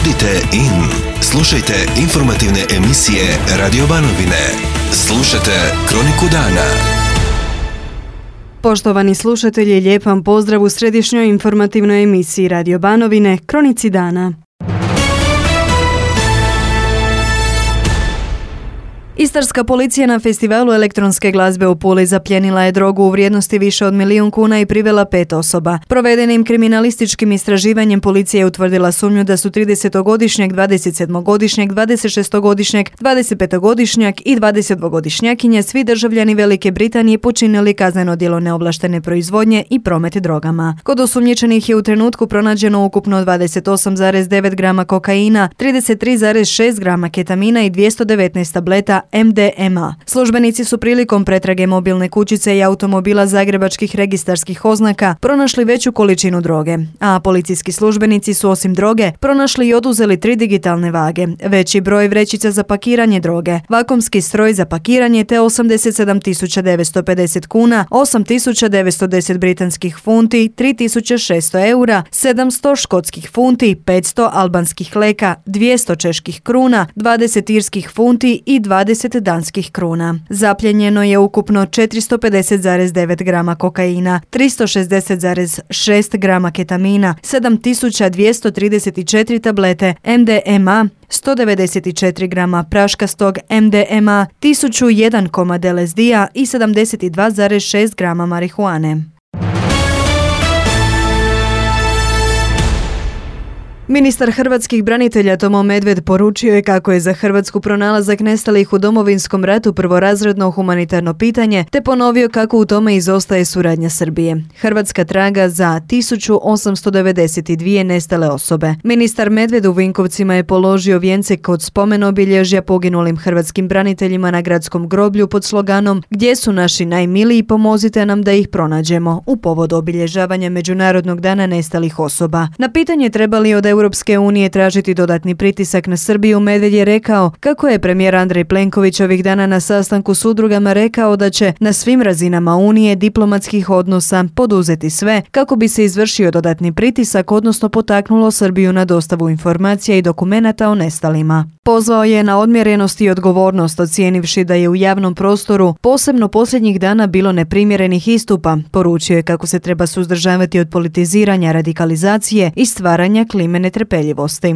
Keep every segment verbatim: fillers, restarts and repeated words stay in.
Budite in. Slušajte informativne emisije Radio Banovine. Slušajte Kroniku dana. Poštovani slušatelji, lijep vam pozdrav u središnjoj informativnoj emisiji Radio Banovine, Kronici dana. Istarska policija na festivalu elektronske glazbe u Puli zapljenila je drogu u vrijednosti više od milijun kuna i privela pet osoba. Provedenim kriminalističkim istraživanjem policija je utvrdila sumnju da su tridesetogodišnjak, dvadesetsedmogodišnjak, dvadesetšestogodišnjak, dvadesetpetogodišnjak i dvadesetdvogodišnjakinja, svi državljani Velike Britanije, počinili kazneno djelo neovlaštene proizvodnje i promet drogama. Kod osumnjičenih je u trenutku pronađeno ukupno dvadeset osam zarez devet grama kokaina, trideset tri zarez šest grama ketamina i dvjesto devetnaest tableta M D M A. Službenici su prilikom pretrage mobilne kućice i automobila zagrebačkih registarskih oznaka pronašli veću količinu droge, a policijski službenici su osim droge pronašli i oduzeli tri digitalne vage, veći broj vrećica za pakiranje droge, vakumski stroj za pakiranje te osamdeset sedam tisuća devetsto pedeset kuna, osam tisuća devetsto deset britanskih funti, tri tisuće šesto eura, sedamsto škotskih funti, petsto albanskih leka, dvjesto čeških kruna, dvadeset irskih funti i dvadeset danskih kruna. Zapljenjeno je ukupno četiristo pedeset zarez devet grama kokaina, tristo šezdeset zarez šest grama ketamina, sedam tisuća dvjesto trideset četiri tablete M D M A, sto devedeset četiri grama praškastog M D M A, tisuću jedan komad L S D-a i sedamdeset dva zarez šest grama marihuane. Ministar hrvatskih branitelja Tomo Medved poručio je kako je za Hrvatsku pronalazak nestalih u Domovinskom ratu prvorazredno humanitarno pitanje, te ponovio kako u tome izostaje suradnja Srbije. Hrvatska traga za tisuću osamsto devedeset dvije nestale osobe. Ministar Medved u Vinkovcima je položio vijence kod spomen obilježja poginulim hrvatskim braniteljima na gradskom groblju pod sloganom "Gdje su naši najmiliji, pomozite nam da ih pronađemo" u povodu obilježavanja Međunarodnog dana nestalih osoba. Na pitanje treba li od Europske unije tražiti dodatni pritisak na Srbiju, Medved je rekao kako je premijer Andrej Plenković ovih dana na sastanku s udrugama rekao da će na svim razinama Unije diplomatskih odnosa poduzeti sve kako bi se izvršio dodatni pritisak, odnosno potaknulo Srbiju na dostavu informacija i dokumenata o nestalima. Pozvao je na odmjerenost i odgovornost, ocijenivši da je u javnom prostoru posebno posljednjih dana bilo neprimjerenih istupa. Poručio je kako se treba suzdržavati od politiziranja, radikalizacije i stvaranja klime netrpeljivosti.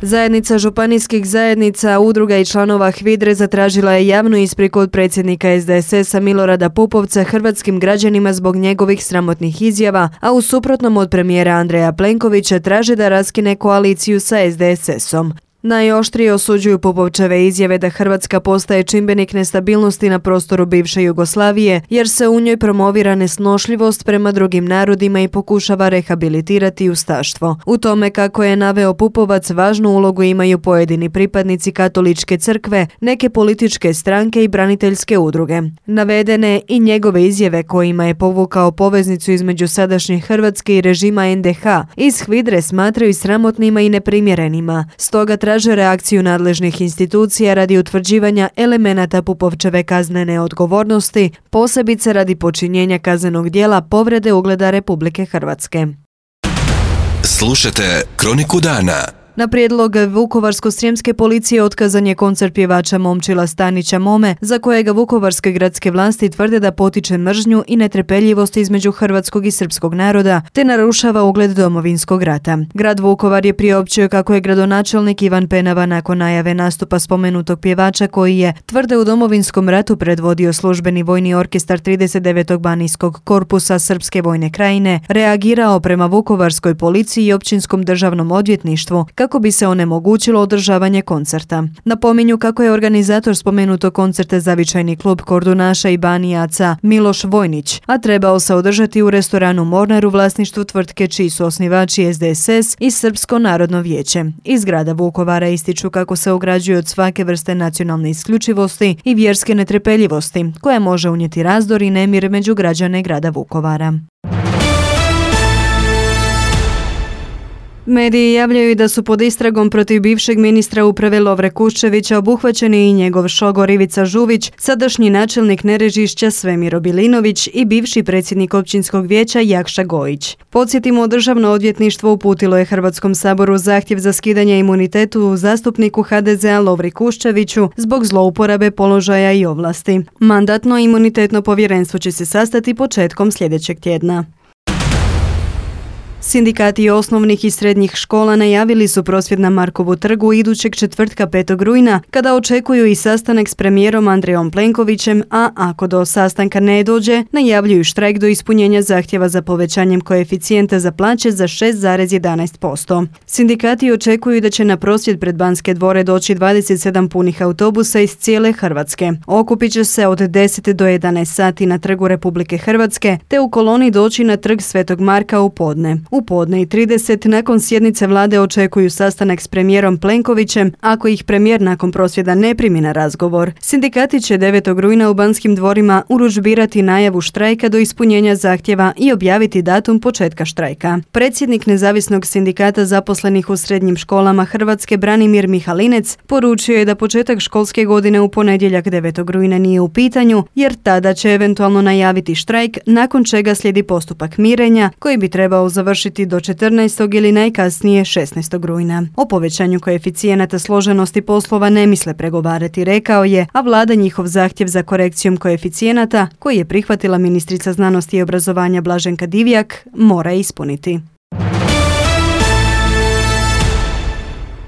Zajednica županijskih zajednica, udruga i članova HVIDRE zatražila je javnu ispriku od predsjednika S D S S-a Milorada Pupovca hrvatskim građanima zbog njegovih sramotnih izjava, a u suprotnom od premijera Andreja Plenkovića traže da raskine koaliciju sa S D S S-om. Najoštrije osuđuju Pupovčeve izjave da Hrvatska postaje čimbenik nestabilnosti na prostoru bivše Jugoslavije, jer se u njoj promovira nesnošljivost prema drugim narodima i pokušava rehabilitirati ustaštvo. U tome, kako je naveo Pupovac, važnu ulogu imaju pojedini pripadnici katoličke crkve, neke političke stranke i braniteljske udruge. Navedene i njegove izjave kojima je povukao poveznicu između sadašnje Hrvatske i režima N D H iz HVIDRE smatraju sramotnima i neprimjerenima. Stoga traže reakciju nadležnih institucija radi utvrđivanja elemenata Pupovčeve kaznene odgovornosti, posebice radi počinjenja kaznenog djela povrede ugleda Republike Hrvatske. Slušajte Kroniku dana. Na prijedlog Vukovarsko-srijemske policije otkazan je koncert pjevača Momčila Stanića Mome, za kojega vukovarske gradske vlasti tvrde da potiče mržnju i netrpeljivost između hrvatskog i srpskog naroda, te narušava ugled Domovinskog rata. Grad Vukovar je priopćio kako je gradonačelnik Ivan Penava nakon najave nastupa spomenutog pjevača, koji je, tvrde, u Domovinskom ratu predvodio službeni vojni orkestar trideset devetog banijskog korpusa Srpske vojne krajine, reagirao prema vukovarskoj policiji i općinskom državnom odvjetništvu kako bi se onemogućilo održavanje koncerta. Napominju kako je organizator spomenutog koncerta zavičajni klub kordunaša i banijaca Miloš Vojnić, a trebao se održati u restoranu Mornar u vlasništvu tvrtke čiji su osnivači S D S S i Srpsko narodno vijeće. Iz grada Vukovara ističu kako se ograđuju od svake vrste nacionalne isključivosti i vjerske netrpeljivosti, koja može unijeti razdor i nemir među građane grada Vukovara. Mediji javljaju da su pod istragom protiv bivšeg ministra uprave Lovre Kuščevića obuhvaćeni i njegov šogor Ivica Žuvić, sadašnji načelnik Nerežišća Svemiro Bilinović i bivši predsjednik općinskog vijeća Jakša Gojić. Podsjetimo, Državno odvjetništvo uputilo je Hrvatskom saboru zahtjev za skidanje imunitetu zastupniku ha de zea Lovri Kuščeviću zbog zlouporabe položaja i ovlasti. Mandatno-imunitetno povjerenstvo će se sastati početkom sljedećeg tjedna. Sindikati osnovnih i srednjih škola najavili su prosvjed na Markovu trgu idućeg četvrtka petog rujna, kada očekuju i sastanak s premijerom Andrejom Plenkovićem, a ako do sastanka ne dođe, najavljuju štrajk do ispunjenja zahtjeva za povećanjem koeficijenta za plaće za šest zarez jedanaest posto. Sindikati očekuju da će na prosvjed pred Banske dvore doći dvadeset sedam punih autobusa iz cijele Hrvatske. Okupit će se od deset do jedanaest sati na Trgu Republike Hrvatske, te u koloni doći na Trg Svetog Marka u podne. U podne i trideset nakon sjednice vlade očekuju sastanak s premijerom Plenkovićem, ako ih premijer nakon prosvjeda ne primi na razgovor. Sindikati će devetog rujna u Banskim dvorima urudžbirati najavu štrajka do ispunjenja zahtjeva i objaviti datum početka štrajka. Predsjednik Nezavisnog sindikata zaposlenih u srednjim školama Hrvatske Branimir Mihalinec poručio je da početak školske godine u ponedjeljak devetog rujna nije u pitanju, jer tada će eventualno najaviti štrajk, nakon čega slijedi postupak mirenja koji bi trebao završiti do četrnaestog ili najkasnije šesnaestog rujna. O povećanju koeficijenata složenosti poslova ne misle pregovarati, rekao je, a vlada njihov zahtjev za korekcijom koeficijenata, koji je prihvatila ministrica znanosti i obrazovanja Blaženka Divjak, mora ispuniti.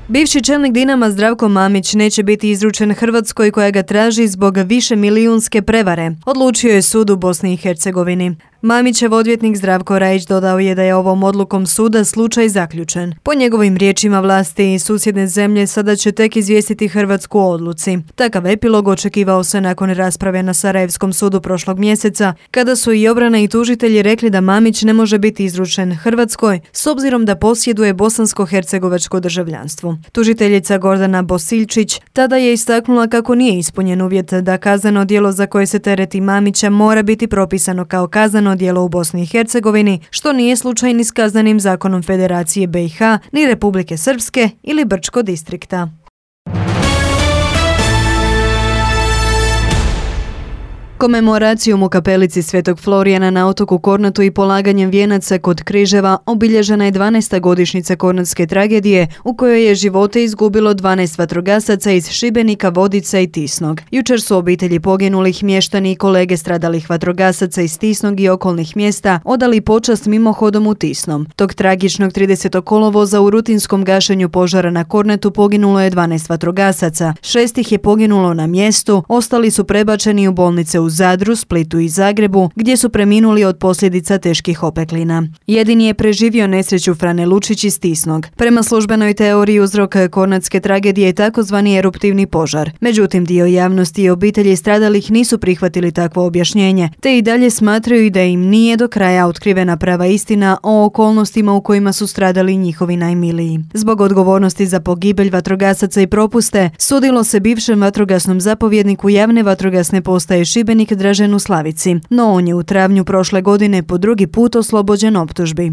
Bivši čelnik Dinama Zdravko Mamić neće biti izručen Hrvatskoj koja ga traži zbog više milijunske prevare, odlučio je sud u Bosni i Hercegovini. Mamićev odvjetnik Zdravko Rajić dodao je da je ovom odlukom suda slučaj zaključen. Po njegovim riječima, vlasti i susjedne zemlje sada će tek izvijestiti Hrvatsku o odluci. Takav epilog očekivao se nakon rasprave na Sarajevskom sudu prošlog mjeseca, kada su i obrana i tužitelji rekli da Mamić ne može biti izručen Hrvatskoj s obzirom da posjeduje bosansko-hercegovačko državljanstvo. Tužiteljica Gordana Bosiljčić tada je istaknula kako nije ispunjen uvjet da kazneno djelo za koje se tereti Mamića mora biti propisano kao kazneno djelo u Bosni i Hercegovini, što nije slučaj ni s kaznenim zakonom Federacije be i ha, ni Republike Srpske ili Brčko distrikta. Komemoracijom u kapelici Svetog Florijana na otoku Kornatu i polaganjem vijenaca kod Križeva obilježena je dvanaesta godišnjica Kornatske tragedije u kojoj je živote izgubilo dvanaest vatrogasaca iz Šibenika, Vodica i Tisnog. Jučer su obitelji poginulih, mještani i kolege stradalih vatrogasaca iz Tisnog i okolnih mjesta odali počast mimohodom u Tisnom. Tog tragičnog tridesetog kolovoza u rutinskom gašenju požara na Kornatu poginulo je dvanaest vatrogasaca, šest ih je poginulo na mjestu, ostali su prebačeni u bolnice u Zadru, Splitu i Zagrebu, gdje su preminuli od posljedica teških opeklina. Jedini je preživio nesreću Frane Lučić iz Tisnog. Prema službenoj teoriji uzrok kornatske tragedije je takozvani eruptivni požar. Međutim, dio javnosti i obitelji stradalih nisu prihvatili takvo objašnjenje, te i dalje smatraju da im nije do kraja otkrivena prava istina o okolnostima u kojima su stradali njihovi najmiliji. Zbog odgovornosti za pogibelj vatrogasaca i propuste, sudilo se bivšem vatrogasnom zapovjedniku javne vatrogasne postaje Šibenik Draženu Slavici, no on je u travnju prošle godine po drugi put oslobođen optužbi.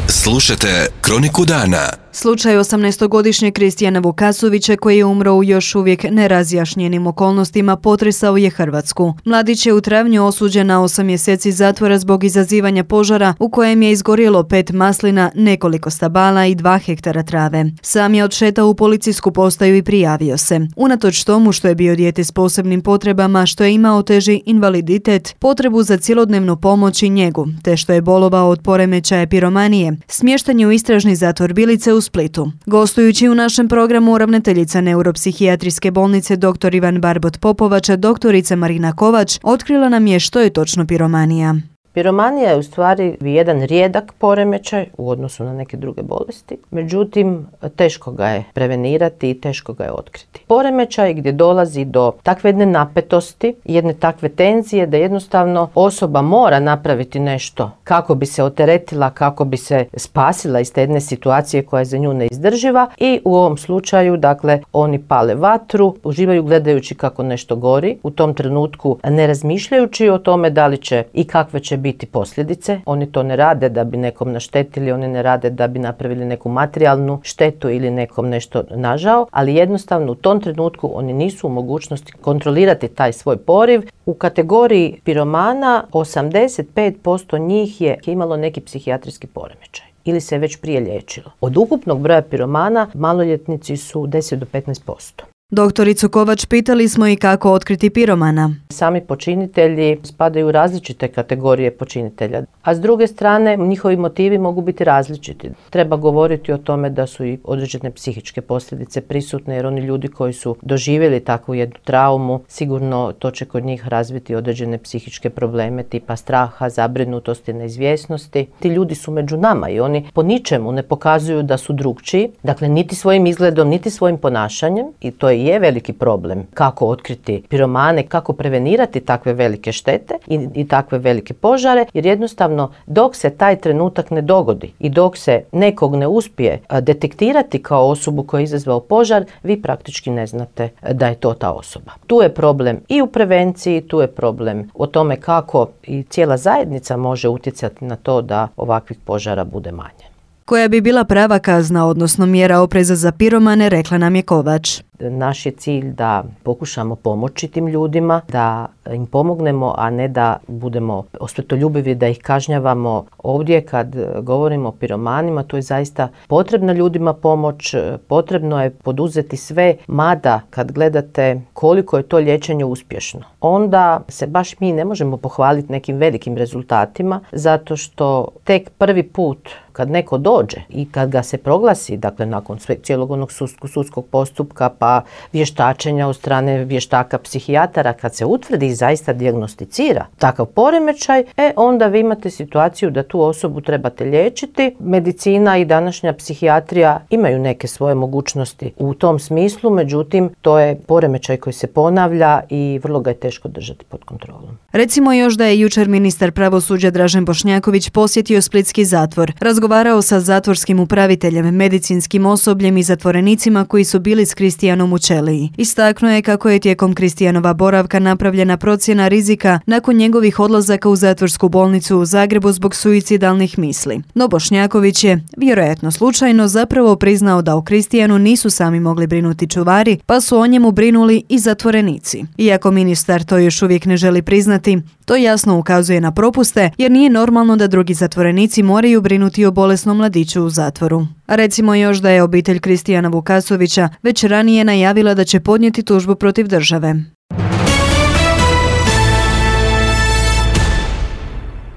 Slušajte Kroniku dana. Slučaj osamnaestogodišnjeg Kristijana Vukasovića, koji je umro u još uvijek nerazjašnjenim okolnostima, potresao je Hrvatsku. Mladić je u travnju osuđen na osam mjeseci zatvora zbog izazivanja požara u kojem je izgorjelo pet maslina, nekoliko stabala i dva hektara trave. Sam je odšetao u policijsku postaju i prijavio se. Unatoč tomu što je bio dijete s posebnim potrebama, što je imao teži invaliditet, potrebu za cjelodnevnu pomoć i njegu, te što je bolovao od poremećaja piromanije, smješten je u istražni zatvor Bilice u Splitu. Gostujući u našem programu, ravnateljica neuropsihijatrijske bolnice dr. Ivan Barbot Popovača, doktorica Marina Kovač, otkrila nam je što je točno piromanija. Piromanija je u stvari jedan rijedak poremećaj u odnosu na neke druge bolesti, međutim teško ga je prevenirati i teško ga je otkriti. Poremećaj gdje dolazi do takve jedne napetosti, jedne takve tenzije da jednostavno osoba mora napraviti nešto kako bi se oteretila, kako bi se spasila iz te jedne situacije koja je za nju neizdrživa, i u ovom slučaju dakle oni pale vatru, uživaju gledajući kako nešto gori, u tom trenutku ne razmišljajući o tome da li će i kakve će biti posljedice. Oni to ne rade da bi nekom naštetili, oni ne rade da bi napravili neku materijalnu štetu ili nekom nešto nažao, ali jednostavno u tom trenutku oni nisu u mogućnosti kontrolirati taj svoj poriv. U kategoriji piromana osamdeset pet posto njih je imalo neki psihijatrijski poremećaj ili se već prije liječilo. Od ukupnog broja piromana maloljetnici su deset do petnaest posto. Doktoricu Kovač pitali smo i kako otkriti piromana. Sami počinitelji spadaju u različite kategorije počinitelja, a s druge strane njihovi motivi mogu biti različiti. Treba govoriti o tome da su i određene psihičke posljedice prisutne, jer oni ljudi koji su doživjeli takvu jednu traumu, sigurno to će kod njih razviti određene psihičke probleme tipa straha, zabrinutosti, neizvjesnosti. Ti ljudi su među nama i oni po ničemu ne pokazuju da su drukčiji, dakle niti svojim izgledom, niti svojim ponašanjem, i to je je veliki problem kako otkriti piromane, kako prevenirati takve velike štete i, i takve velike požare, jer jednostavno dok se taj trenutak ne dogodi i dok se nekog ne uspije detektirati kao osobu koja je izazvao požar, vi praktički ne znate da je to ta osoba. Tu je problem i u prevenciji, tu je problem o tome kako i cijela zajednica može utjecati na to da ovakvih požara bude manje. Koja bi bila prava kazna, odnosno mjera opreza za piromane, rekla nam je Kovač. Naš je cilj da pokušamo pomoći tim ljudima, da im pomognemo, a ne da budemo osvetoljubivi, da ih kažnjavamo. Ovdje kad govorimo o piromanima, to je zaista potrebna ljudima pomoć, potrebno je poduzeti sve, mada kad gledate koliko je to liječenje uspješno, onda se baš mi ne možemo pohvaliti nekim velikim rezultatima, zato što tek prvi put kad neko dođe i kad ga se proglasi, dakle nakon cijelog onog sudskog postupka pa vještačenja od strane vještaka psihijatara, kad se utvrdi i zaista dijagnosticira takav poremećaj, e onda vi imate situaciju da tu osobu trebate liječiti. Medicina i današnja psihijatrija imaju neke svoje mogućnosti u tom smislu, međutim to je poremećaj koji se ponavlja i vrlo ga je teško držati pod kontrolom. Recimo još da je jučer ministar pravosuđa Dražen Bošnjaković posjetio splitski zatvor. Razgovarao sa zatvorskim upraviteljem, medicinskim osobljem i zatvorenicima koji su bili s Kristijanom u ćeliji. Istaknuo je kako je tijekom Kristijanova boravka napravljena procjena rizika nakon njegovih odlazaka u zatvorsku bolnicu u Zagrebu zbog suicidalnih misli. No Bošnjaković je, vjerojatno slučajno, zapravo priznao da o Kristijanu nisu sami mogli brinuti čuvari, pa su o njemu brinuli i zatvorenici. Iako ministar to još uvijek ne želi priznati, to jasno ukazuje na propuste, jer nije normalno da drugi zatvorenici moraju brinuti o bolesnom mladiću u zatvoru. A recimo još da je obitelj Kristijana Vukasovića već ranije najavila da će podnijeti tužbu protiv države.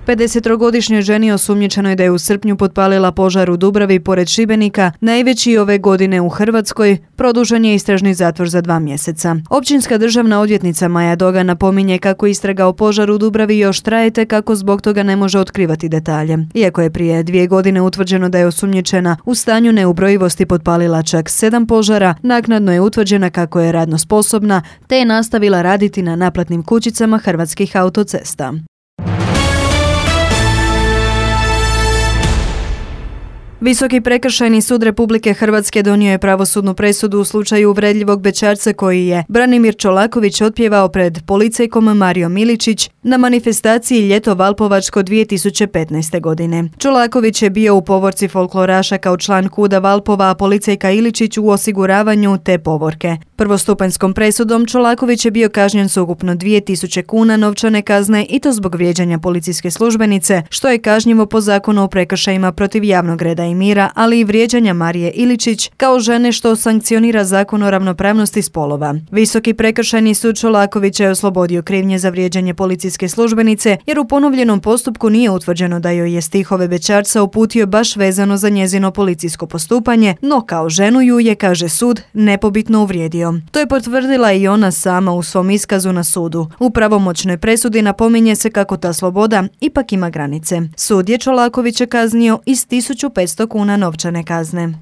pedesettrogodišnjoj ženi osumnjičenoj da je u srpnju potpalila požar u Dubravi pored Šibenika, najveći ove godine u Hrvatskoj, produžen je istražni zatvor za dva mjeseca. Općinska državna odvjetnica Maja Doga napominje kako istraga o požaru u Dubravi još traje te kako zbog toga ne može otkrivati detalje. Iako je prije dvije godine utvrđeno da je osumnjičena u stanju neubrojivosti potpalila čak sedam požara, naknadno je utvrđena kako je radno sposobna te je nastavila raditi na naplatnim kućicama Hrvatskih autocesta. Visoki prekršajni sud Republike Hrvatske donio je pravosudnu presudu u slučaju uvredljivog bećarca koji je Branimir Čolaković otpjevao pred policajkom Mario Miličić na manifestaciji Ljeto Valpovačko dvije tisuće petnaeste. godine. Čolaković je bio u povorci folkloraša kao član KUD-a Valpova, a policajka Iličić u osiguravanju te povorke. Prvostupanjskom presudom Čolaković je bio kažnjen s ukupno dvije tisuće kuna novčane kazne i to zbog vrijeđanja policijske službenice, što je kažnjivo po zakonu o prekršajima protiv javnog reda i mira, ali i vrijeđanja Marije Iličić kao žene, što sankcionira zakon o ravnopravnosti spolova. Visoki prekršajni sud Čolakovića je oslobodio krivnje za vrijeđanje policijske službenice, jer u ponovljenom postupku nije utvrđeno da joj je stihove bećarca uputio baš vezano za njezino policijsko postupanje, no kao ženu ju je, kaže sud, nepobitno uvrijedio. To je potvrdila i ona sama u svom iskazu na sudu. U pravomoćnoj presudi napominje se kako ta sloboda ipak ima granice. Sud je Čolakovića kaznio i s tisuću petsto kuna novčane kazne.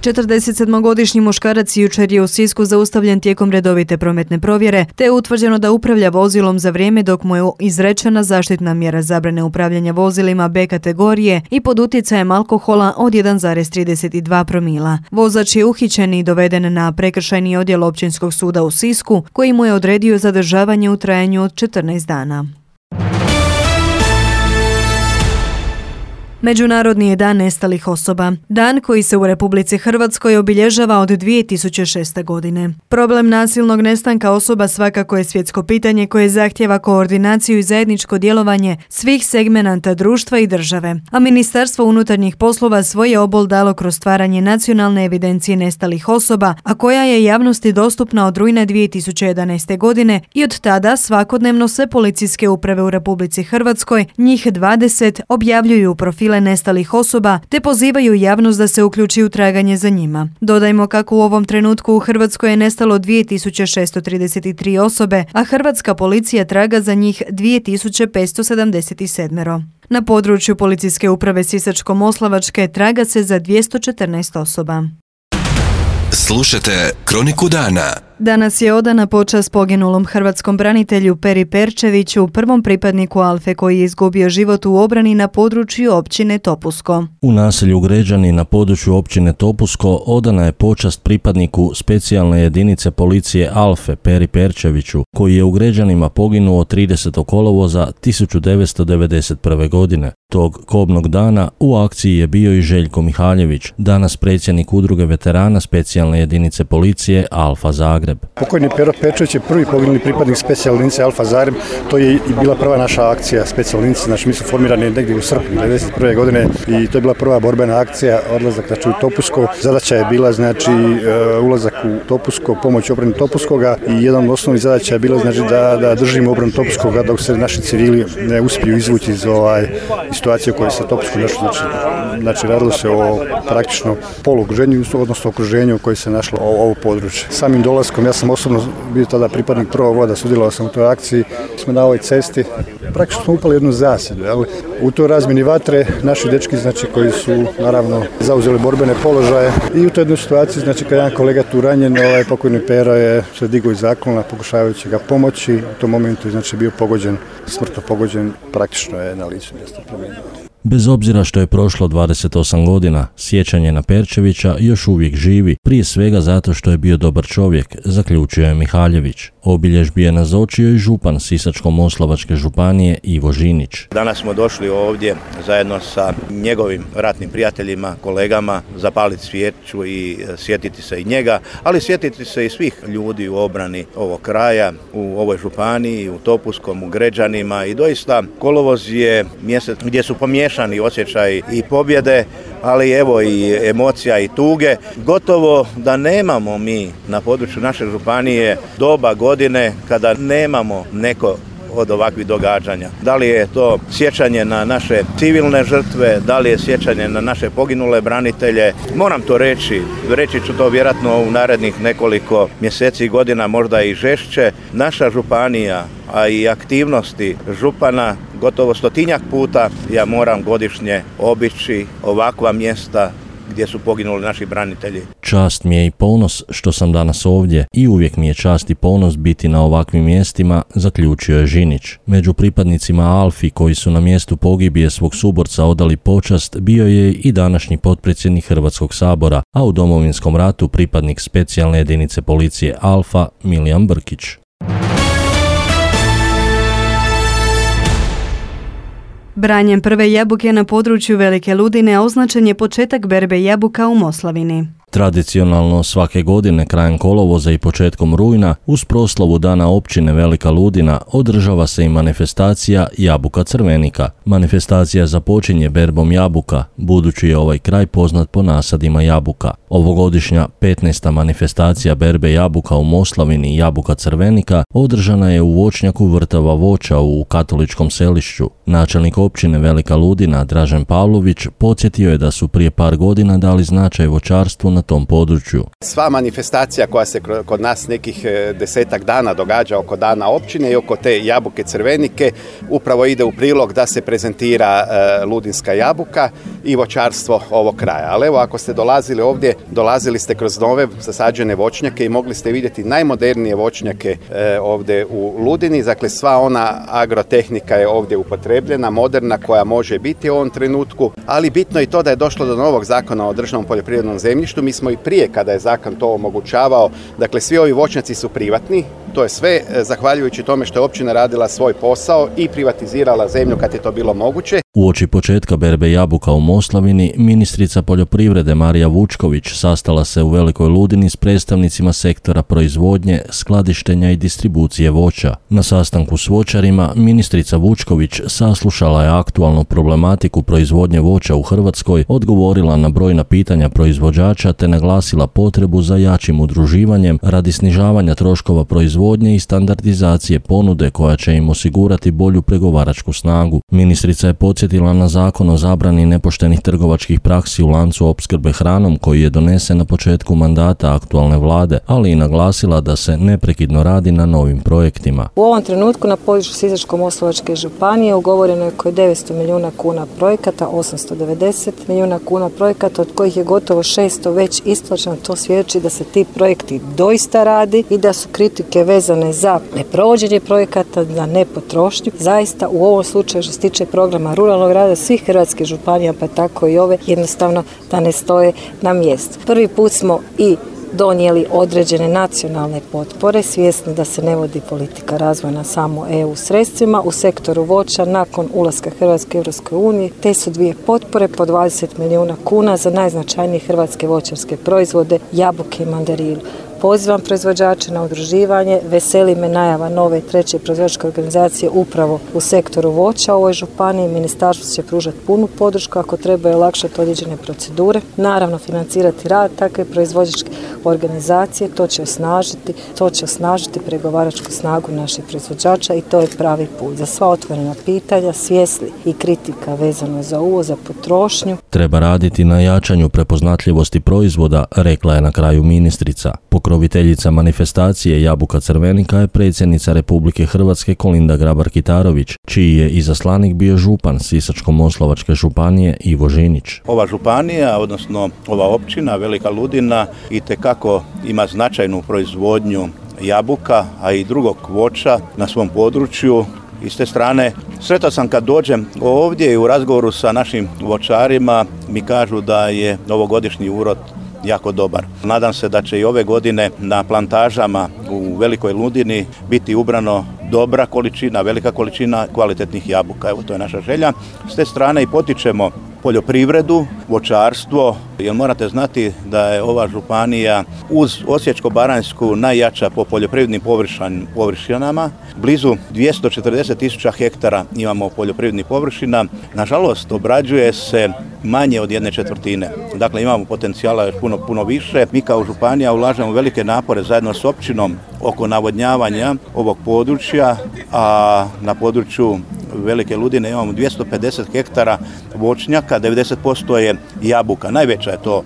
četrdesetsedmogodišnji muškarac jučer je u Sisku zaustavljen tijekom redovite prometne provjere, te je utvrđeno da upravlja vozilom za vrijeme dok mu je izrečena zaštitna mjera zabrane upravljanja vozilima B kategorije i pod utjecajem alkohola od jedan zarez trideset dva promila. Vozač je uhićen i doveden na prekršajni odjel Općinskog suda u Sisku, koji mu je odredio zadržavanje u trajanju od četrnaest dana. Međunarodni je dan nestalih osoba. Dan koji se u Republici Hrvatskoj obilježava od dvije tisuće šeste. godine. Problem nasilnog nestanka osoba svakako je svjetsko pitanje koje zahtjeva koordinaciju i zajedničko djelovanje svih segmenata društva i države. A Ministarstvo unutarnjih poslova svoj je obol dalo kroz stvaranje nacionalne evidencije nestalih osoba, a koja je javnosti dostupna od rujna dvije tisuće jedanaeste. godine i od tada svakodnevno sve policijske uprave u Republici Hrvatskoj, njih dvadeset, objavljuju profile nestalih osoba te pozivaju javnost da se uključi u traganje za njima. Dodajmo kako u ovom trenutku u Hrvatskoj je nestalo dvije tisuće šesto trideset tri osobe, a hrvatska policija traga za njih dvije tisuće petsto sedamdeset sedam. Na području policijske uprave Sisačko-moslavačke traga se za dvjesto četrnaest osoba. Slušajte Kroniku dana. Danas je odana počast poginulom hrvatskom branitelju Peri Perčeviću, prvom pripadniku Alfe koji je izgubio život u obrani na području općine Topusko. U naselju Gređani na području općine Topusko odana je počast pripadniku specijalne jedinice policije Alfe Peri Perčeviću, koji je u Gređanima poginuo tridesetog kolovoza tisuću devetsto devedeset prve. godine. Tog kobnog dana u akciji je bio i Željko Mihaljević, danas predsjednik udruge veterana specijalne jedinice policije Alfa Zagreb. Pokojni Pero Perčević je prvi poginuli pripadnik specijalne jedinice Alfa Zagreb. To je i bila prva naša akcija specijalne jedinice. Znači mi smo formirani negdje u srpnju devedeset prve. godine i to je bila prva borbena akcija, odlazak znači, u Topusko. Zadaća je bila znači ulazak u Topusko, pomoć obrani Topuskoga i jedan od osnovnih zadaća je bila znači da, da držimo obranu Topuskoga dok se naši civili ne uspiju izvući iz ovaj situacije u kojoj se Topusko našlo. Znači, znači radilo se o praktično poluokruženju, odnosno okruženju u kojoj se našlo ovo područje. Samim dolaskom, ja sam osobno bio tada pripadnik prvog voda, sudjelovao sam u toj akciji. Smo na ovoj cesti, praktično smo upali jednu zasjedu. U toj razmjeni vatre naši dečki znači, koji su naravno zauzeli borbene položaje i u toj jednoj situaciji, znači kad jedan kolega tu ranjen, ovaj pokojni Pero je se digao iz zaklona pokušavajući ga pomoći. U tom momentu znači bio pogođen, smrtno pogođen, praktično je na licu mjesta preminuo. Bez obzira što je prošlo dvadeset osam godina, sjećanje na Perčevića još uvijek živi, prije svega zato što je bio dobar čovjek, zaključio je Mihaljević. Obilježbi je nazočio i župan Sisačko-moslavačke županije Ivo Žinić. Danas smo došli ovdje zajedno sa njegovim ratnim prijateljima, kolegama, zapaliti svijeću i sjetiti se i njega, ali sjetiti se i svih ljudi u obrani ovog kraja, u ovoj županiji, u Topuskom, u Gređanima i doista kolovoz je mjesec gdje su pomiješani osjećaj i pobjede, ali evo i emocija i tuge. Gotovo da nemamo mi na području naše županije doba godine kada nemamo neko od ovakvih događanja. Da li je to sjećanje na naše civilne žrtve, da li je sjećanje na naše poginule branitelje. Moram to reći, reći ću to vjerojatno u narednih nekoliko mjeseci i godina, možda i žešće. Naša županija, a i aktivnosti župana, gotovo stotinjak puta ja moram godišnje obići ovakva mjesta gdje su poginuli naši branitelji. Čast mi je i ponos što sam danas ovdje i uvijek mi je čast i ponos biti na ovakvim mjestima, zaključio je Žinić. Među pripadnicima Alfi koji su na mjestu pogibije svog suborca odali počast bio je i današnji potpredsjednik Hrvatskog sabora, a u Domovinskom ratu pripadnik specijalne jedinice policije Alfa Milijan Brkić. Branjem prve jabuke na području Velike Ludine označen je početak berbe jabuka u Moslavini. Tradicionalno svake godine krajem kolovoza i početkom rujna uz proslavu Dana općine Velika Ludina održava se i manifestacija Jabuka Crvenika. Manifestacija započinje berbom jabuka, budući je ovaj kraj poznat po nasadima jabuka. Ovogodišnja petnaesta manifestacija berbe jabuka u Moslavini Jabuka Crvenika održana je u voćnjaku Vrtava voća u Katoličkom Selišću. Načelnik općine Velika Ludina Dražen Pavlović podsjetio je da su prije par godina dali značaj voćarstvu na tom području. Sva manifestacija koja se kod nas nekih desetak dana događa oko Dana općine i oko te Jabuke Crvenike upravo ide u prilog da se prezentira Ludinska jabuka i voćarstvo ovog kraja. Ali evo, ako ste dolazili ovdje, dolazili ste kroz nove zasađene voćnjake i mogli ste vidjeti najmodernije voćnjake ovdje u Ludini. Dakle, sva ona agrotehnika je ovdje upotrebljena, moderna, koja može biti u ovom trenutku, ali bitno je i to da je došlo do novog zakona o državnom poljoprivrednom zemljištu. Mi smo i prije, kada je zakon to omogućavao, dakle svi ovi voćnjaci su privatni, to je sve zahvaljujući tome što je općina radila svoj posao i privatizirala zemlju kad je to bilo moguće. Uoči početka berbe jabuka u Moslavini, ministrica poljoprivrede Marija Vučković sastala se u Velikoj Ludini s predstavnicima sektora proizvodnje, skladištenja i distribucije voća. Na sastanku s voćarima ministrica Vučković saslušala je aktualnu problematiku proizvodnje voća u Hrvatskoj, odgovorila na brojna pitanja proizvođača te naglasila potrebu za jačim udruživanjem radi snižavanja troškova proizvodnje i standardizacije ponude koja će im osigurati bolju pregovaračku snagu. Ministrica je podsjetila na zakon o zabrani nepoštenih trgovačkih praksi u lancu opskrbe hranom koji je donesen na početku mandata aktualne vlade, ali i naglasila da se neprekidno radi na novim projektima. U ovom trenutku na području Sisačko-moslavačke županije ugovoreno je oko devetsto milijuna kuna projekata, osamsto devedeset milijuna kuna projekata, od kojih je gotovo šesto već isplaćeno. To svjedoči da se ti projekti doista radi i da su kritike vezane za neprovođenje projekata, za nepotrošnju. Zaista u ovom slučaju što se tiče programa ruralnog rada svih hrvatskih županija, pa tako i ove, jednostavno da ne stoje na mjestu. Prvi put smo i donijeli određene nacionalne potpore, svjesni da se ne vodi politika razvojna samo E U sredstvima u sektoru voća nakon ulaska Hrvatske u Europskoj uniji. Te su dvije potpore po dvadeset milijuna kuna za najznačajnije hrvatske voćarske proizvode, jabuke i mandarinu. Pozivam proizvođače na udruživanje, veseli me najava nove treće proizvođačke organizacije upravo u sektoru voća u ovoj županiji. Ministarstvo će pružati punu podršku ako treba olakšati određene procedure. Naravno, financirati rad takve proizvođačke organizacije, to će osnažiti, to će osnažiti pregovaračku snagu naših proizvođača i to je pravi put. Za sva otvorena pitanja, svjesni i kritika vezano za uvoz, za potrošnju. Treba raditi na jačanju prepoznatljivosti proizvoda, rekla je na kraju ministrica. Pokroviteljica manifestacije Jabuka Crvenika je predsjednica Republike Hrvatske Kolinda Grabar-Kitarović, čiji je izaslanik bio župan Sisačko-moslavačke županije Ivo Žinić. Ova županija, odnosno ova općina Velika Ludina, itekako ima značajnu proizvodnju jabuka, a i drugog voća na svom području. I s te strane, sretao sam kad dođem ovdje i u razgovoru sa našim voćarima mi kažu da je ovogodišnji urod jako dobar. Nadam se da će i ove godine na plantažama u Velikoj Ludini biti ubrano dobra količina, velika količina kvalitetnih jabuka. Evo, to je naša želja. S te strane i potičemo poljoprivredu, voćarstvo, jer morate znati da je ova županija uz Osječko-baranjsku najjača po poljoprivrednim površinama. Blizu dvjesto četrdeset tisuća hektara imamo poljoprivrednih površina. Nažalost, obrađuje se manje od jedne četvrtine. Dakle, imamo potencijala još puno, puno više. Mi kao županija ulažemo velike napore zajedno s općinom oko navodnjavanja ovog područja, a na području Velike Ludine imamo dvjesto pedeset hektara voćnjaka, devedeset posto je jabuka. Najveća je to,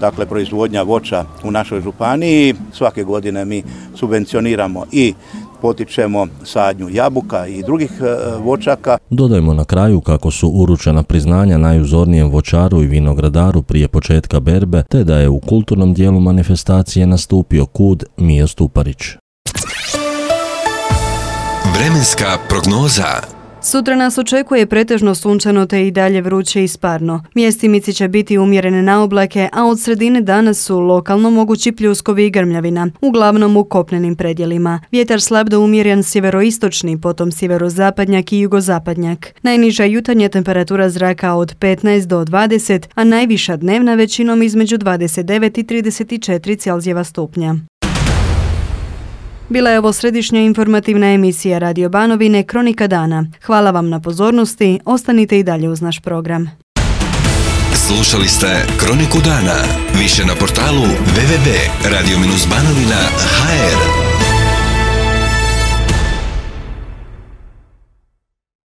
dakle, proizvodnja voća u našoj županiji. Svake godine mi subvencioniramo i potičemo sadnju jabuka i drugih voćaka. Dodajmo na kraju kako su uručena priznanja najuzornijem voćaru i vinogradaru prije početka berbe, te da je u kulturnom dijelu manifestacije nastupio kud Mio Stuparić. Vremenska prognoza. Sutra nas očekuje pretežno sunčano te i dalje vruće i sparno. Mjestimice će biti umjerene na oblake, a od sredine dana su lokalno mogući pljuskovi i grmljavina, uglavnom u kopnenim predjelima. Vjetar slab do umjeren sjeveroistočni, potom sjeverozapadnjak i jugozapadnjak. Najniža jutarnja temperatura zraka od petnaest do dvadeset, a najviša dnevna većinom između dvadeset devet i trideset četiri Celzijeva stupnja. Bila je ovo središnja informativna emisija Radio Banovine Kronika dana. Hvala vam na pozornosti, ostanite i dalje uz naš program. Slušali ste Kroniku dana. Više na portalu w w w tačka radio banovina tačka h r.